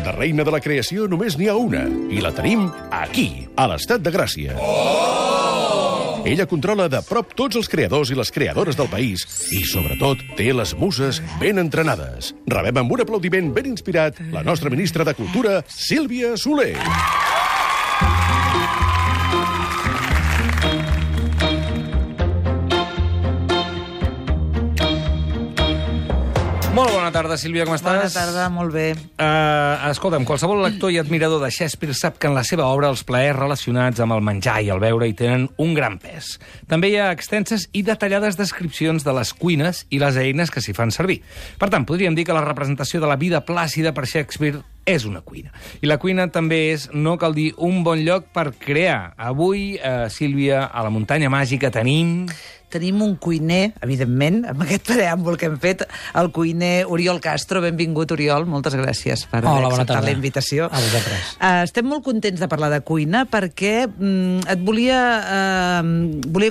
De reina de la creació només n'hi ha una, i la tenim aquí, a l'Estat de Gràcia. Ella controla de prop tots els creadors i les creadores del país i, sobretot, té les muses ben entrenades. Rebem amb un aplaudiment ben inspirat la nostra ministra de Cultura, Sílvia Soler. Molt bona tarda, Sílvia, com estàs? Bona tarda, molt bé. Escolta'm, qualsevol lector i admirador de Shakespeare sap que en la seva obra els plaers relacionats amb el menjar i el beure hi tenen un gran pes. També hi ha extenses i detallades descripcions de les cuines i les eines que s'hi fan servir. Per tant, podríem dir que la representació de la vida plàcida per Shakespeare és una cuina. I la cuina també és, no cal dir, un bon lloc per crear. Avui, Sílvia, a la muntanya màgica Tenim un cuiner, evidentment, amb aquest preàmbul que hem fet, el cuiner Oriol Castro. Benvingut, Oriol. Moltes gràcies per haver acceptat la invitació. A vosaltres. Estem molt contents de parlar de cuina perquè volia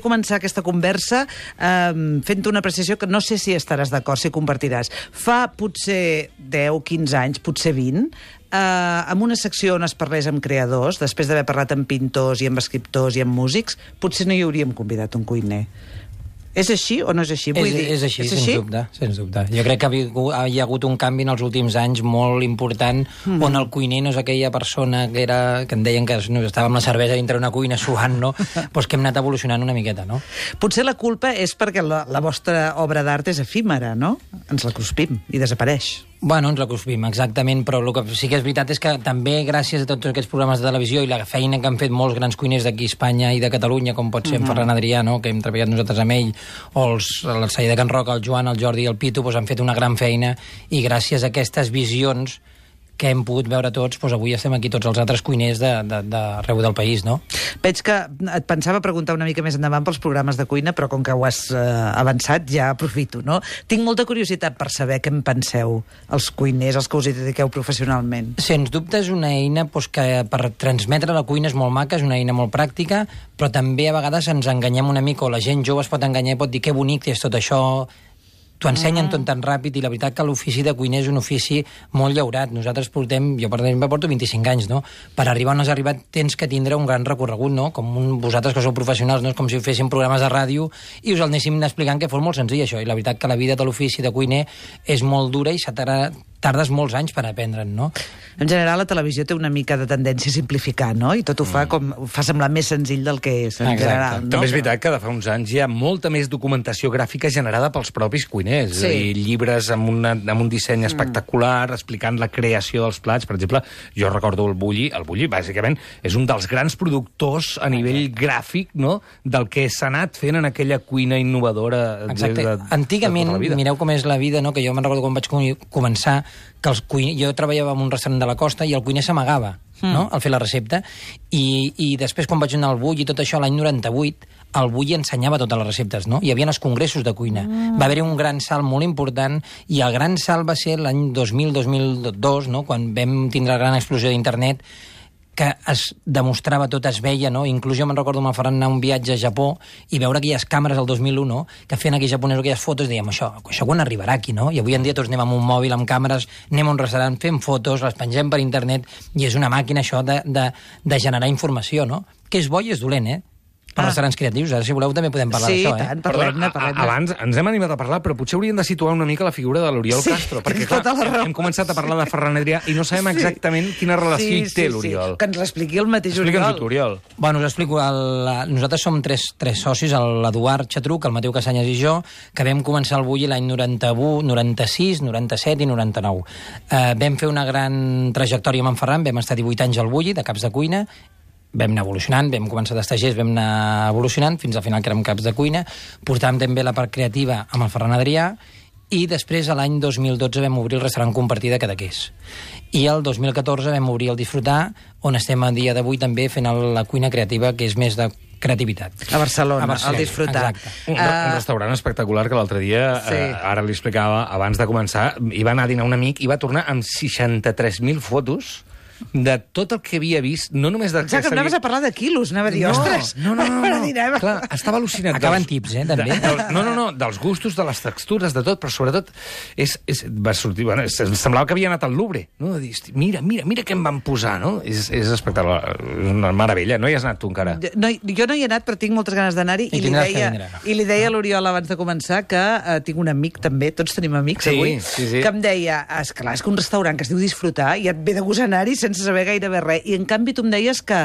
començar aquesta conversa fent una apreciació que no sé si estaràs d'acord, si compartiràs. Fa potser 10-15 anys, potser 20, amb una secció on es parlés amb creadors, després d'haver parlat amb pintors i amb escriptors i amb músics, potser no hi hauríem convidat un cuiner. És així o no és així? És així, sens dubte. Jo crec que hi ha hagut un canvi en els últims anys molt important, on el cuiner no és aquella persona que en deien que estava amb la cervesa dintre una cuina suant, no? Pues que hem anat evolucionant una miqueta, no? Potser la culpa és perquè la vostra obra d'art és efímera, no? Ens la cruspim i desapareix. Bueno, ens la cruspim, exactament, però el que sí que és veritat és que també gràcies a tots aquests programes de televisió i la feina que han fet molts grans cuiners d'aquí a Espanya i de Catalunya, com pot ser en Ferran Adrià, no?, que hem treballat nosaltres amb ell, o el Saí de Can Roca, el Joan, el Jordi i el Pitu, doncs han fet una gran feina i gràcies a aquestes visions que hem pogut veure tots, doncs avui estem aquí tots els altres cuiners d'arreu del país, no? Veig que et pensava preguntar una mica més endavant pels programes de cuina, però com que ho has avançat ja aprofito, no? Tinc molta curiositat per saber què en penseu els cuiners, els que us hi dediqueu professionalment. Sens dubte és una eina que per transmetre la cuina és molt maca, és una eina molt pràctica, però també a vegades ens enganyem una mica, o la gent jove es pot enganyar i pot dir que bonic és tot això. T'ho ensenyen tot tan ràpid i la veritat que l'ofici de cuiner és un ofici molt llaurat. Nosaltres jo per exemple porto 25 anys, no? Per arribar on has arribat tens que tindre un gran recorregut, no? Vosaltres que sou professionals, no? És com si féssim programes de ràdio i us el anéssim explicant que fos molt senzill això. I la veritat que la vida de l'ofici de cuiner és molt dura i tardes molts anys per aprendre'n, no? En general, la televisió té una mica de tendència a simplificar, no? I tot ho fa semblar més senzill del que és, en general, no? També és veritat que de fa uns anys hi ha molta més documentació gràfica generada pels propis cuiners. Sí. I llibres amb un disseny espectacular, explicant la creació dels plats. Per exemple, jo recordo el Bulli. El Bulli, bàsicament, és un dels grans productors a nivell gràfic, no?, del que s'ha anat fent en aquella cuina innovadora. Exacte. Antigament, mireu com és la vida, no?, que jo me'n recordo quan vaig començar, que jo treballava en un restaurant de la costa i el cuiner s'amagava, no?, al fer la recepta, i després quan vaig anar al Bulli i tot això l'any 98, el Bulli ensenyava totes les receptes, no? Hi havia els congressos de cuina. Va haver-hi un gran salt molt important i el gran salt va ser l'any 2000-2002, no?, quan vam tindre la gran explosió d'internet, que es demostrava tot, es veia, no? Inclús jo me'n recordo amb el Ferran anar un viatge a Japó i veure aquelles càmeres del 2001, no?, que feien aquells japonesos aquelles fotos, dèiem, això quan arribarà aquí, no? I avui en dia tots anem amb un mòbil, amb càmeres, anem a un restaurant, fem fotos, les pengem per internet, i és una màquina això de generar informació, no? Que és bo i és dolent, per restaurants creatius. Ara, si voleu, també podem parlar d'això, Sí, tant, parlem-ne. Abans ens hem animat a parlar, però potser hauríem de situar una mica la figura de l'Oriol Castro, perquè, clar, hem començat a parlar de Ferran Adrià i no sabem exactament quina relació hi té l'Oriol. Que ens l'expliqui el mateix Oriol. Explica'ns-ho, Oriol. Bueno, us explico. Nosaltres som tres socis, l'Eduard Xatruc, el Mateu Casanyes i jo, que vam començar el Bulli l'any 91, 96, 97 i 99. Vam fer una gran trajectòria amb en Ferran, vam estar 18 anys al Bulli, de caps de cuina, vam anar evolucionant, vam començar d'estagers, vam anar evolucionant, fins al final que érem caps de cuina, portàvem també la part creativa amb el Ferran Adrià, i després, a l'any 2012, vam obrir el restaurant Compartir de Cadaqués. I el 2014 vam obrir el Disfrutar, on estem a dia d'avui també fent la cuina creativa, que és més de creativitat. A Barcelona, al Disfrutar. Un restaurant espectacular que l'altre dia, ara li explicava, abans de començar, hi va anar a dinar un amic i va tornar amb 63.000 fotos de tot el que havia vist, no només de... Exacte, anaves a parlar de quilos, anava a dir, ostres... No. Clar, estava al·lucinat. Acaben tips, també. No, dels gustos, de les textures, de tot, però sobretot va sortir... Bueno, semblava que havia anat al Louvre, no? De dir, mira què em van posar, no? És espectacular, és una meravella. No hi has anat tu encara? No, jo no hi he anat, però tinc moltes ganes d'anar-hi i li deia a l'Oriol abans de començar que tinc un amic també, tots tenim amics avui, que em deia, esclar, és que un restaurant que es diu Disfrutar i et ve de gust anar-hi sense saber gairebé res. I en canvi tu em deies que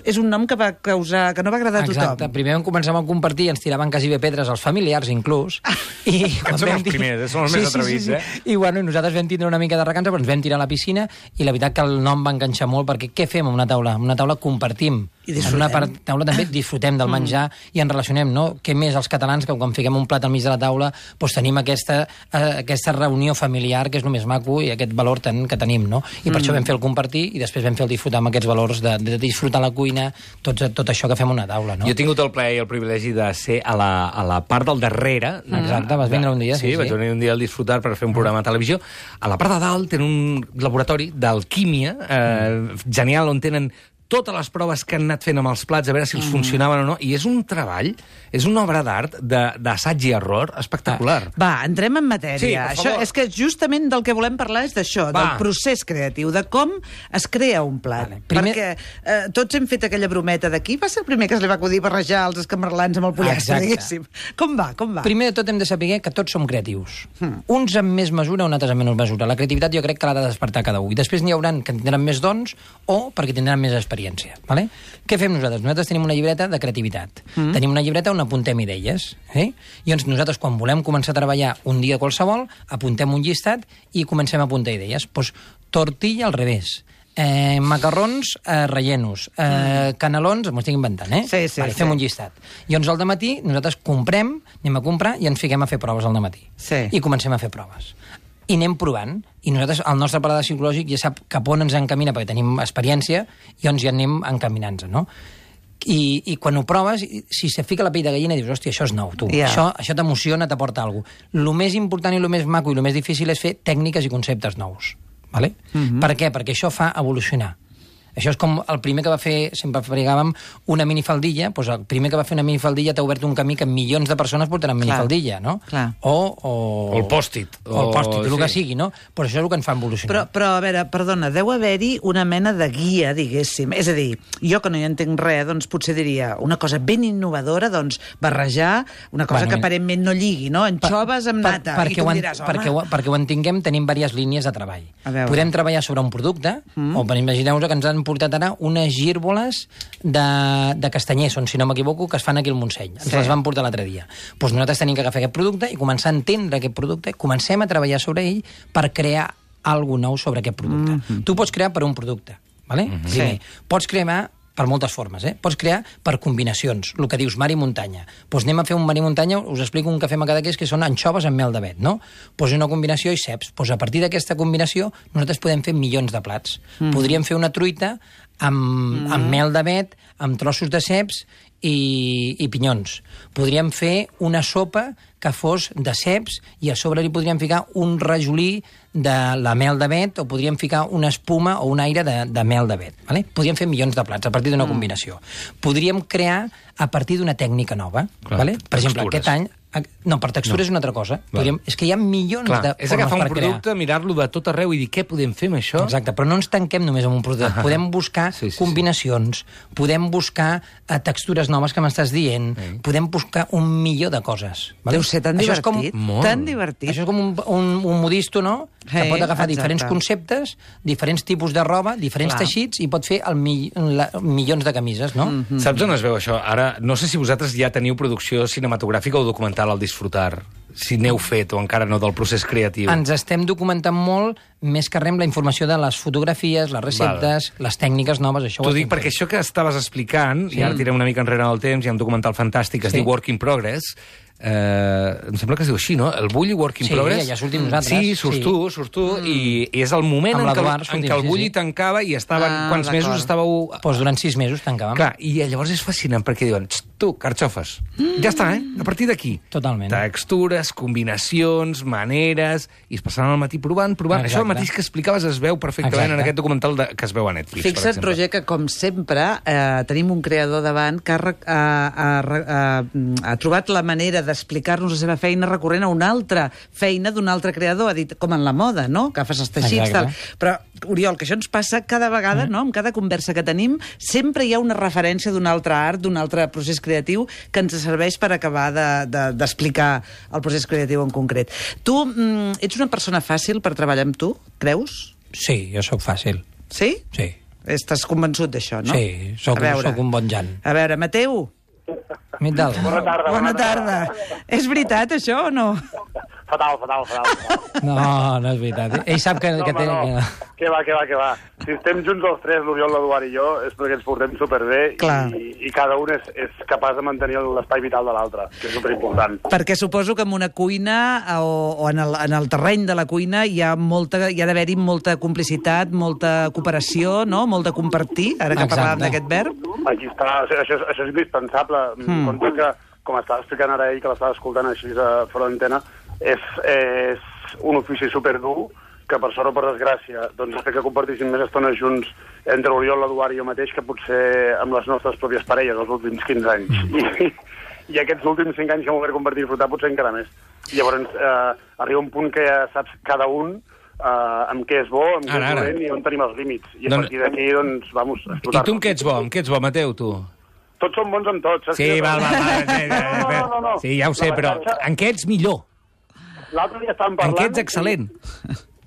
és un nom que va causar, que no va agradar a tothom. Exacte, primer començàvem a compartir i ens tiraven quasi bé pedres als familiars, inclús. I són els primers, són els més atrevits, I bueno, nosaltres vam tindre una mica de recança, però ens vam tirar a la piscina i la veritat que el nom va enganxar molt perquè què fem en una taula? En una taula compartim. En una taula també disfrutem del menjar i ens relacionem, no? Què més els catalans que quan fiquem un plat al mig de la taula doncs tenim aquesta reunió familiar que és el més maco i aquest valor que tenim, no? I per això vam fer el compartir i després vam fer el disfrutar amb aquests valors de disfrutar la cuina, tot això que fem a una taula, no? Jo he tingut el plaer i el privilegi de ser a la part del darrere. Exacte, vas vindre un dia. Sí, vaig venir un dia al Disfrutar per fer un programa de televisió. A la part de dalt tenen un laboratori d'alquímia genial on tenen totes les proves que han anat fent amb els plats, a veure si els funcionaven o no, i és un treball, és una obra d'art d'assaig i error espectacular. Va, entrem en matèria. Sí, per favor. És que justament del que volem parlar és d'això, del procés creatiu, de com es crea un plat. Perquè tots hem fet aquella brometa d'aquí, va ser el primer que es li va acudir barrejar els escamarlans amb el pollastre, diguéssim. Com va? Primer de tot hem de saber que tots som creatius. Uns amb més mesura, uns altres amb menys mesura. La creativitat jo crec que l'ha de despertar cada un. I després n'hi haurà que tindran més dons o perquè tindran més experiència. Vale? Què fem nosaltres? Nosaltres tenim una llibreta de creativitat. Tenim una llibreta on apuntem idees. I doncs nosaltres, quan volem començar a treballar un dia qualsevol, apuntem un llistat i comencem a apuntar idees. Doncs tortilla al revés. Macarrons rellenos, canelons, m'ho estic inventant, fem un llistat. I doncs al dematí nosaltres anem a comprar i ens fiquem a fer proves al dematí. I comencem a fer proves. I anem provant. I nosaltres, el nostre paladar psicològic ja sap cap on ens encamina, perquè tenim experiència, i doncs ja anem encaminant-nos, no? I quan ho proves, si se fica la pell de gallina, dius, hòstia, això és nou, tu. Això t'emociona, t'aporta alguna cosa. El més important i el més maco i el més difícil és fer tècniques i conceptes nous. Vale? Per què? Perquè això fa evolucionar. Això és com el primer que va fer, sempre fabricàvem una minifaldilla, doncs el primer que va fer una minifaldilla t'ha obert un camí que milions de persones portaran minifaldilla, no? O el pòstit. O el pòstit, el que sigui, no? Però això és el que ens fa evolucionar. Però a veure, perdona, deu haver-hi una mena de guia, diguéssim. És a dir, jo que no hi entenc res, doncs potser diria una cosa ben innovadora, doncs barrejar una cosa que aparentment no lligui, no? Anxoves amb nata. I tu em diràs, home... Perquè ho entenguem, tenim diverses línies de treball. Podem treballar sobre un producte, o imagineu-vos que ens han portat ara unes gírboles de castanyers, si no m'equivoco, que es fan aquí al Montseny. Ens les van portar l'altre dia. Doncs nosaltres tenim que agafar aquest producte i començar a entendre aquest producte, comencem a treballar sobre ell per crear alguna nou sobre aquest producte. Tu pots crear per un producte, ¿vale? Pots crear per moltes formes, Pots crear per combinacions, el que dius mar i muntanya. Doncs anem a fer un mar i muntanya, us explico un que fem a Cadaqués, que són anxoves amb mel d'avet, no? Doncs una combinació i ceps. Doncs a partir d'aquesta combinació nosaltres podem fer milions de plats. Podríem fer una truita amb mel d'avet, amb trossos de ceps i pinyons. Podríem fer una sopa que fos de ceps i a sobre li podríem ficar un rajolí de la mel d'avet o podríem ficar una espuma o un aire de mel d'avet. Vale? Podríem fer milions de plats a partir d'una combinació. Podríem crear a partir d'una tècnica nova. Vale? Per exemple, aquest any... No, per textura és una altra cosa. És que hi ha milions de formes per crear. És agafar un producte, mirar-lo de tot arreu i dir què podem fer amb això. Exacte, però no ens tanquem només en un producte. Podem buscar combinacions, podem buscar textures noves que m'estàs dient, podem buscar un milió de coses. Deu ser tan divertit. Tan divertit. Això és com un modisto, no? Que pot agafar diferents conceptes, diferents tipus de roba, diferents teixits i pot fer milions de camises, no? Saps on es veu això? Ara, no sé si vosaltres ja teniu producció cinematogràfica o documental al Disfrutar, si n'heu fet o encara no del procés creatiu. Ens estem documentant molt, més que res, la informació de les fotografies, les receptes, les tècniques noves, això T'ho dic perquè això que estaves explicant, i ara tirem una mica enrere en el temps, hi ha un documental fantàstic que es diu Work in Progress, em sembla que es diu així, no? El Bulli Work in Progress. Sí, ja sortim nosaltres. Sí, surts tu, i és el moment en què el Bulli tancava i estaven... Quants mesos estàveu... Doncs durant 6 mesos tancàvem. Clar, i llavors és fascinant perquè diuen, tu, carxofes, ja està, a partir d'aquí. Totalment. Textures, combinacions, maneres, i es passaven al matí provant. Això el mateix que explicaves es veu perfectament en aquest documental que es veu a Netflix. Fixa't, Roger, que com sempre tenim un creador davant que ha trobat la manera d'explicar-nos la seva feina recorrent a una altra feina d'un altre creador, ha dit, com en la moda, no? Que fas els teixits, tal. Però, Oriol, que això ens passa cada vegada, no? En cada conversa que tenim, sempre hi ha una referència d'un altre art, d'un altre procés creatiu que ens serveix per acabar d'explicar el procés creatiu en concret. Tu ets una persona fàcil per treballar amb tu, creus? Sí, jo sóc fàcil. Sí? Sí. Estàs convençut d'això, no? Sí, sóc un bon Jan. A veure, Mateu. Bona tarda. Bona tarda. És veritat, això, o no? Fatal. No és veritat. Ell sap que... No. Què va. Si estem junts els tres, l'Oriol, l'Eduard i jo, és perquè ens portem superbé i cada un és capaç de mantenir l'espai vital de l'altre, que és superimportant. Perquè suposo que en una cuina o en el terreny de la cuina hi ha d'haver-hi molta complicitat, molta cooperació, no? Molt de compartir, ara que parlàvem d'aquest verb. Aquí està, això és indispensable. Compte que, com estava explicant ara ell, que l'estava escoltant així fora d'antena, és un ofici superdur que, per sort o per desgràcia, doncs ha fet que compartíssim més estona junts entre l'Oriol, l'Eduard i jo mateix que potser amb les nostres pròpies parelles els últims 15 anys. I aquests últims 5 anys que hem obert compartir i disfrutar potser encara més. I llavors arriba un punt que ja saps cada un amb què és bo, amb què és dolent i on tenim els límits. I a partir d'aquí, doncs, vamos a explotar. I tu amb què ets bo? Amb què ets bo, Mateu, tu? Tots som bons amb tots. Sí, val. No. Sí, ja ho sé, però en què ets millor? L'altre dia estàvem parlant... En què ets excel·lent?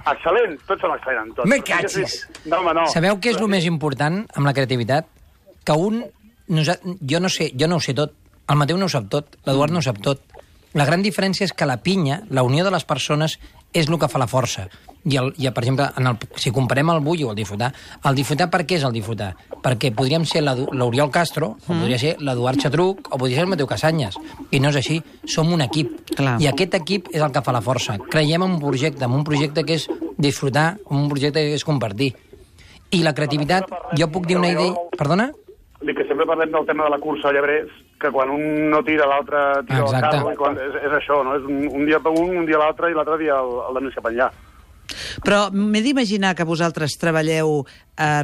Excel·lent, tots som excel·lents, tots. Me catxis! No. Sabeu què és el més important amb la creativitat? Que jo no ho sé tot, el Mateu no ho sap tot, l'Eduard no ho sap tot. La gran diferència és que la pinya, la unió de les persones, és el que fa la força. I per exemple, si comparem el Bulli o el Difutar per què és el Difutar? Perquè podríem ser l'Oriol Castro, o podria ser l'Eduard Xatruc, o podria ser el Mateu Casanyes. I no és així, som un equip. Clar. I aquest equip és el que fa la força. Creiem en un projecte que és disfrutar, en un projecte que és compartir. I la creativitat, jo puc dir una idea... Perdona? Dic que sempre parlem del tema de la cursa a llebrers, que quan un no tira, l'altre tira el carro, és això, no? És un dia per un dia l'altre, i l'altre dia el de més cap enllà. Però m'he d'imaginar que vosaltres treballeu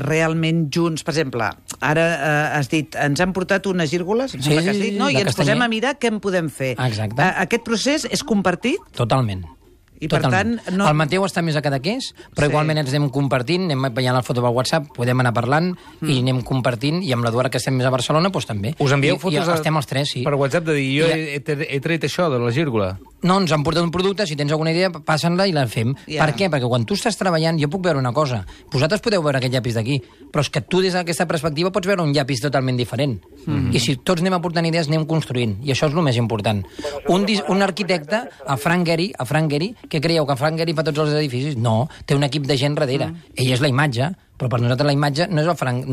realment junts. Per exemple, ara has dit, ens han portat unes gírgoles, sí, no? I ens posem a mirar què en podem fer. Exacte. Aquest procés és compartit? Totalment. I per tant, no... El Mateu està més a Cadaqués, però igualment ens anem compartint, anem veient la foto pel WhatsApp, podem anar parlant i anem compartint, i amb l'Eduard, que estem més a Barcelona, doncs també. Us envieu fotos estem els tres, sí. Per WhatsApp de dir, jo he tret això de la gírgola. No, ens han portat un producte, si tens alguna idea, passa-la i la fem. Per què? Perquè quan tu estàs treballant, jo puc veure una cosa. Vosaltres podeu veure aquest llapis d'aquí, però és que tu des d'aquesta perspectiva pots veure un llapis totalment diferent. I si tots anem aportant idees, anem construint. I això és el més important. Un arquitecte, a Frank Gehry, què creieu, que Frank Gehry fa tots els edificis? No, té un equip de gent darrere. Ell és la imatge, però per nosaltres la imatge no és el Frank,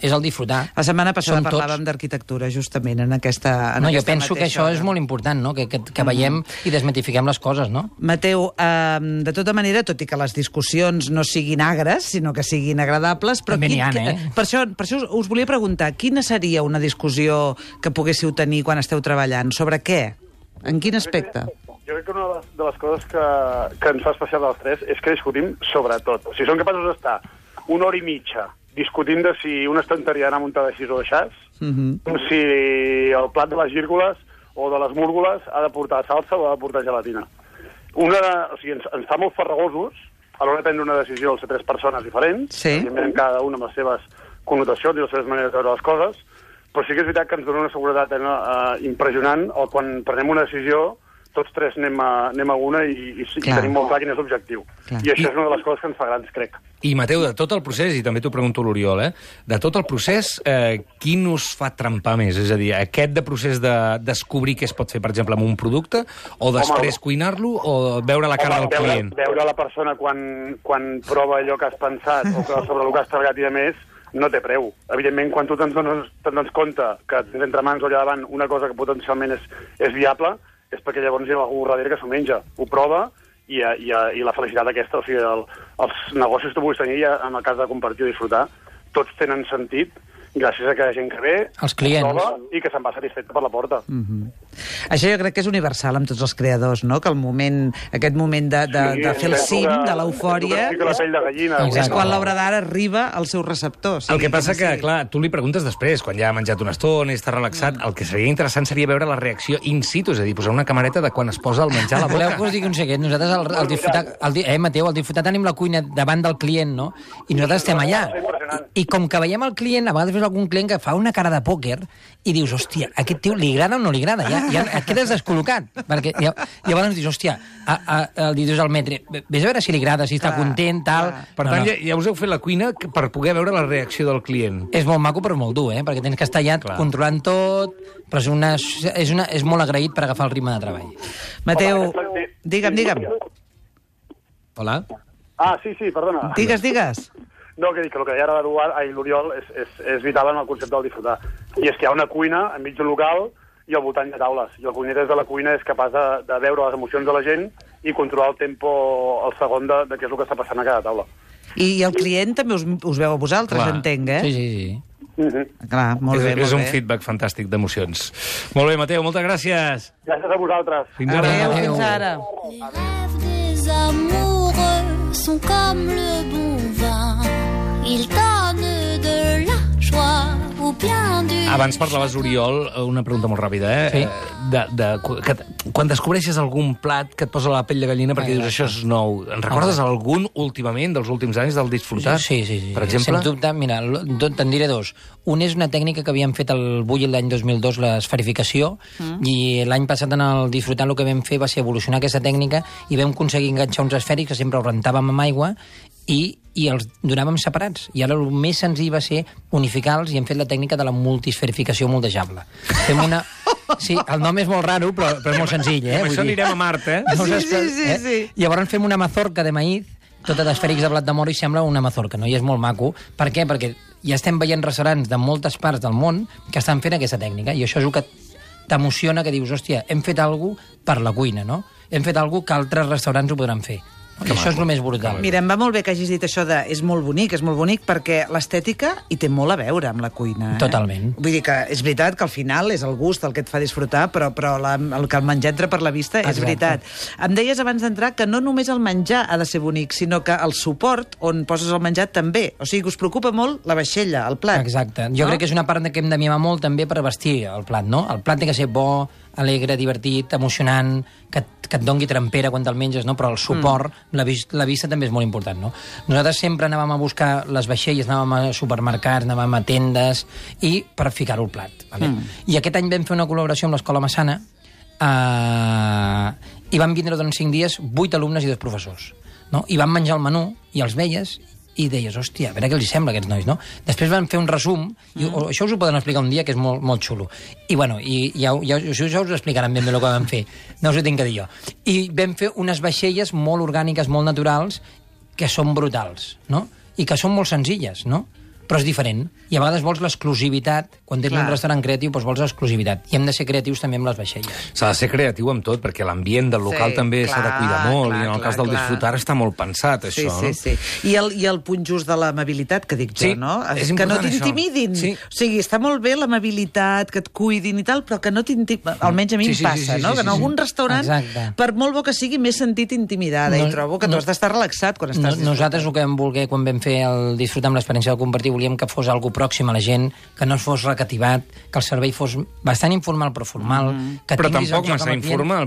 és el disfrutar. La setmana passada parlàvem d'arquitectura, justament, en aquesta jo penso que això és molt important, no? Que veiem i desmitifiquem les coses, no? Mateu, de tota manera, tot i que les discussions no siguin agres, sinó que siguin agradables... També n'hi ha, Per això us volia preguntar, quina seria una discussió que poguéssiu tenir quan esteu treballant? Sobre què? En quin aspecte? Jo crec que una de les coses que ens fa especial dels tres és que discutim sobre tot. O sigui, som capaços d'estar una hora i mitja discutint de si una estanteria ha d'anar muntada així o així, si el plat de les gírgoles o de les múrgoles ha de portar salsa o ha de portar gelatina. O sigui, ens fa molt farragosos a l'hora de prendre una decisió els tres persones diferents, cada una amb les seves connotacions i les seves maneres de veure les coses, però sí que és veritat que ens dona una seguretat impressionant quan prenem una decisió tots tres anem a una i tenim molt clar quin és l'objectiu. I això és una de les coses que ens fa grans, crec. I, Mateu, de tot el procés, i també t'ho pregunto a l'Oriol, de tot el procés, quin us fa trempar més? És a dir, aquest procés de descobrir què es pot fer, per exemple, amb un producte, o després cuinar-lo, o veure la cara del client? Veure la persona quan prova allò que has pensat o sobre el que has treballat i a més, no té preu. Evidentment, quan tu te'n dones compte que tens entre mans o allà davant una cosa que potencialment és viable, és perquè llavors hi ha algú darrere que s'ho menja, ho prova, i la felicitat aquesta, o sigui, els negocis que tu puguis tenir, en el cas de compartir o disfrutar, tots tenen sentit gràcies a que hi ha gent que ve, els clients, prova i que se'n va satisfet per la porta. Això jo crec que és universal amb tots els creadors, no? Que aquest moment de fer el cim, de l'eufòria, és quan l'obra d'art arriba al seu receptor. El que passa que, clar, tu li preguntes després, quan ja ha menjat una estona i està relaxat, el que seria interessant seria veure la reacció in situ, és a dir, posar una camareta de quan es posa el menjar a la boca. Voleu que us digui un secret? Nosaltres, al disfrutar, Mateu, al disfrutar tenim la cuina davant del client, no? I nosaltres estem allà. I com que veiem el client, a vegades veus algun client que fa una cara de pòquer i dius, hòstia, a aquest tio li agrada o no li agrada? Ja et quedes descol·locat. Perquè llavors dius, hòstia, dius al metre, vés a veure si li agrada, si està content, tal... Per tant, ja us heu fet la cuina per poder veure la reacció del client. És molt maco, però molt dur, perquè tens que estar allà controlant tot, però és molt agraït per agafar el ritme de treball. Mateu, digue'm. Hola? Ah, sí, perdona. Digues. No, que dic que el que deia ara l'Oriol és vital en el concepte del disfrutar. I és que hi ha una cuina enmig d'un local i al voltant hi ha taules. I el cuiner des de la cuina és capaç de veure les emocions de la gent i controlar el tempo, el segon de què és el que està passant a cada taula. I el client també us veu a vosaltres, entenc, eh? Sí. Clar, molt bé. És un feedback fantàstic d'emocions. Molt bé, Mateu, moltes gràcies. Gràcies a vosaltres. Fins ara. Adéu, fins ara. Les rêves des amoureux sont comme le bon vin. Ils donnent de la joie ou bien du... Abans parlaves, Oriol, una pregunta molt ràpida, Sí. Quan descobreixes algun plat que et posa la pell de gallina perquè dius, això és nou, en recordes algun últimament, dels últims anys, del disfrutar? Sí. Per exemple? Sens dubte, mira, te'n diré dos. Un és una tècnica que havíem fet al Bulli l'any 2002, l'esferificació, i l'any passat en el disfrutar el que vam fer va ser evolucionar aquesta tècnica i vam aconseguir enganxar uns esfèrics que sempre els rentàvem amb aigua i els donàvem separats. I ara el més senzill va ser unificar-los i hem fet la tècnica de la multisferificació moldejable. Fem una... Sí, el nom és molt raro, però és molt senzill, Amb això anirem a Marte, Sí. Llavors fem una mazorca de maïz, tota d'esfèrics de blat de moro, i sembla una mazorca, no? I és molt maco. Per què? Perquè ja estem veient restaurants de moltes parts del món que estan fent aquesta tècnica, i això és el que t'emociona, que dius, hòstia, hem fet alguna cosa per la cuina, no? Hem fet alguna cosa que altres restaurants ho podran fer. I això és el més brutal. Mira, em va molt bé que hagis dit això de és molt bonic, perquè l'estètica hi té molt a veure amb la cuina. Totalment. Vull dir que és veritat que al final és el gust el que et fa disfrutar, però el que el menjar entra per la vista és veritat. Em deies abans d'entrar que no només el menjar ha de ser bonic, sinó que el suport on poses el menjar també. O sigui, que us preocupa molt la vaixella, el plat. Exacte. Jo crec que és una part que hem de mimar molt també per vestir el plat, no? El plat té que ser bo, alegre, divertit, emocionant, que et dongui trempera quan te'l menges, no? Però el suport, la vista també és molt important, no? Nosaltres sempre anàvem a buscar les vaixelles, anàvem a supermercats, anàvem a tendes, i per ficar-ho al plat. Vale? I aquest any vam fer una col·laboració amb l'Escola Massana i van vindre durant 5 dies 8 alumnes i 2 professors. No? I van menjar el menú i els veies i deies, hòstia, a veure què els sembla a aquests nois, no? Després van fer un resum, i això us ho poden explicar un dia, que és molt, molt xulo. I bueno, ja us ho explicaran ben bé el que vam fer, no us ho tinc que dir jo. I vam fer unes vaixelles molt orgàniques, molt naturals, que són brutals, no? I que són molt senzilles, no? Però és diferent. I a vegades vols l'exclusivitat. Quan tens un restaurant creatiu, doncs vols l'exclusivitat. I hem de ser creatius també amb les vaixelles. S'ha de ser creatiu amb tot, perquè l'ambient del local també s'ha de cuidar molt, i en el cas del disfrutar està molt pensat, això. Sí. I el punt just de l'amabilitat, que dic jo, no? Que no t'intimidin. O sigui, està molt bé l'amabilitat, que et cuidin i tal, però que no t'intimidin. Almenys a mi em passa, no? Que en algun restaurant, per molt bo que sigui, m'he sentit intimidada, i trobo que tu has d'estar relaxat quan estàs disfrutant. Nosaltres el que vam voler quan vam fer el disfrutar amb l'experiència de compartir, volíem que fos algo pròxim a la gent, que no fos recativat, que el servei fos bastant informal però formal. Que però tampoc massa informal.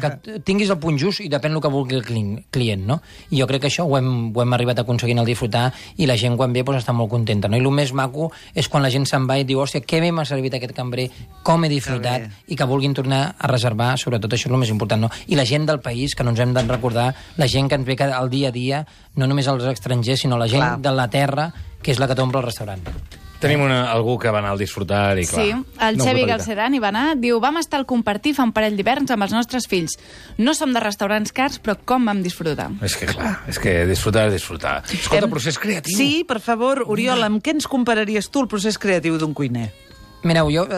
Que tinguis el punt just i depèn del que vulgui el client, no? I jo crec que això ho hem arribat a aconseguir en el disfrutar, i la gent quan ve està molt contenta, no? I el més maco és quan la gent se'n va i diu, hòstia, que bé m'ha servit aquest cambrer, com he disfrutat, i que vulguin tornar a reservar, sobretot això és el més important, no? I la gent del país, que no ens hem de recordar, la gent que ens ve al dia a dia, no només els estrangers, sinó la gent de la terra, que és la que t'omple el restaurant. Tenim algú que va anar al disfrutar i clar... Sí, el Xevi Galceran hi va anar. Diu, vam estar al compartir fa un parell d'hiverns amb els nostres fills. No som de restaurants cars, però com vam disfrutar. És que clar, és que disfrutar és disfrutar. Escolta, procés creatiu. Sí, per favor, Oriol, amb què ens compararies tu el procés creatiu d'un cuiner? Mireu, jo,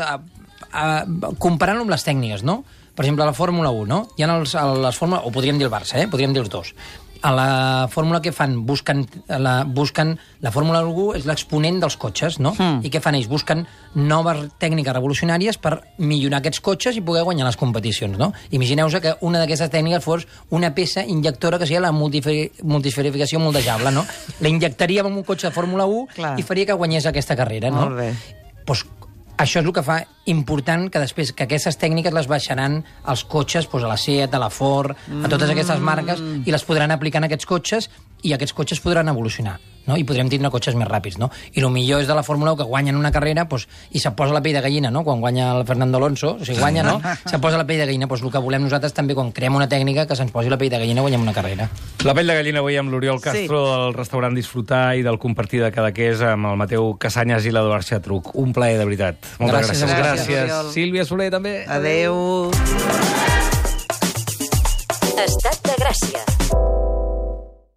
comparant-lo amb les tècniques, no? Per exemple, a la Fórmula 1, no? Hi ha les Fórmula... O podríem dir el Barça, podríem dir els dos. A la Fórmula què fan? La Fórmula 1 és l'exponent dels cotxes, no? I què fan ells? Busquen noves tècniques revolucionàries per millorar aquests cotxes i poder guanyar les competicions, no? Imagineu-vos que una d'aquestes tècniques fos una peça injectora que seria la multisferificació moldejable, no? La injectaríem en un cotxe de Fórmula 1 i faria que guanyés aquesta carrera, no? Molt bé. Doncs això és el que fa important que després que aquestes tècniques les baixaran als cotxes, doncs a la Seat, a la Ford, a totes aquestes marques, i les podran aplicar en aquests cotxes i aquests cotxes podran evolucionar, no? I podrem tindre cotxes més ràpids, no? I el millor és de la Fórmula 1 que guanyen una carrera doncs, i se posa la pell de gallina, no? Quan guanya el Fernando Alonso, o sigui, guanya, no? Se posa la pell de gallina. Doncs el que volem nosaltres també, quan creem una tècnica, que se'ns posi la pell de gallina, guanyem una carrera. La pell de gallina avui amb l'Oriol Castro del restaurant Disfrutar i del compartir de Cadaqués amb el Mateu Casanyes i l'Eduard Xatruc. Un plaer, de veritat. Moltes gràcies. Gràcies. Sílvia Soler, també. Adéu. Estat de Gràcia.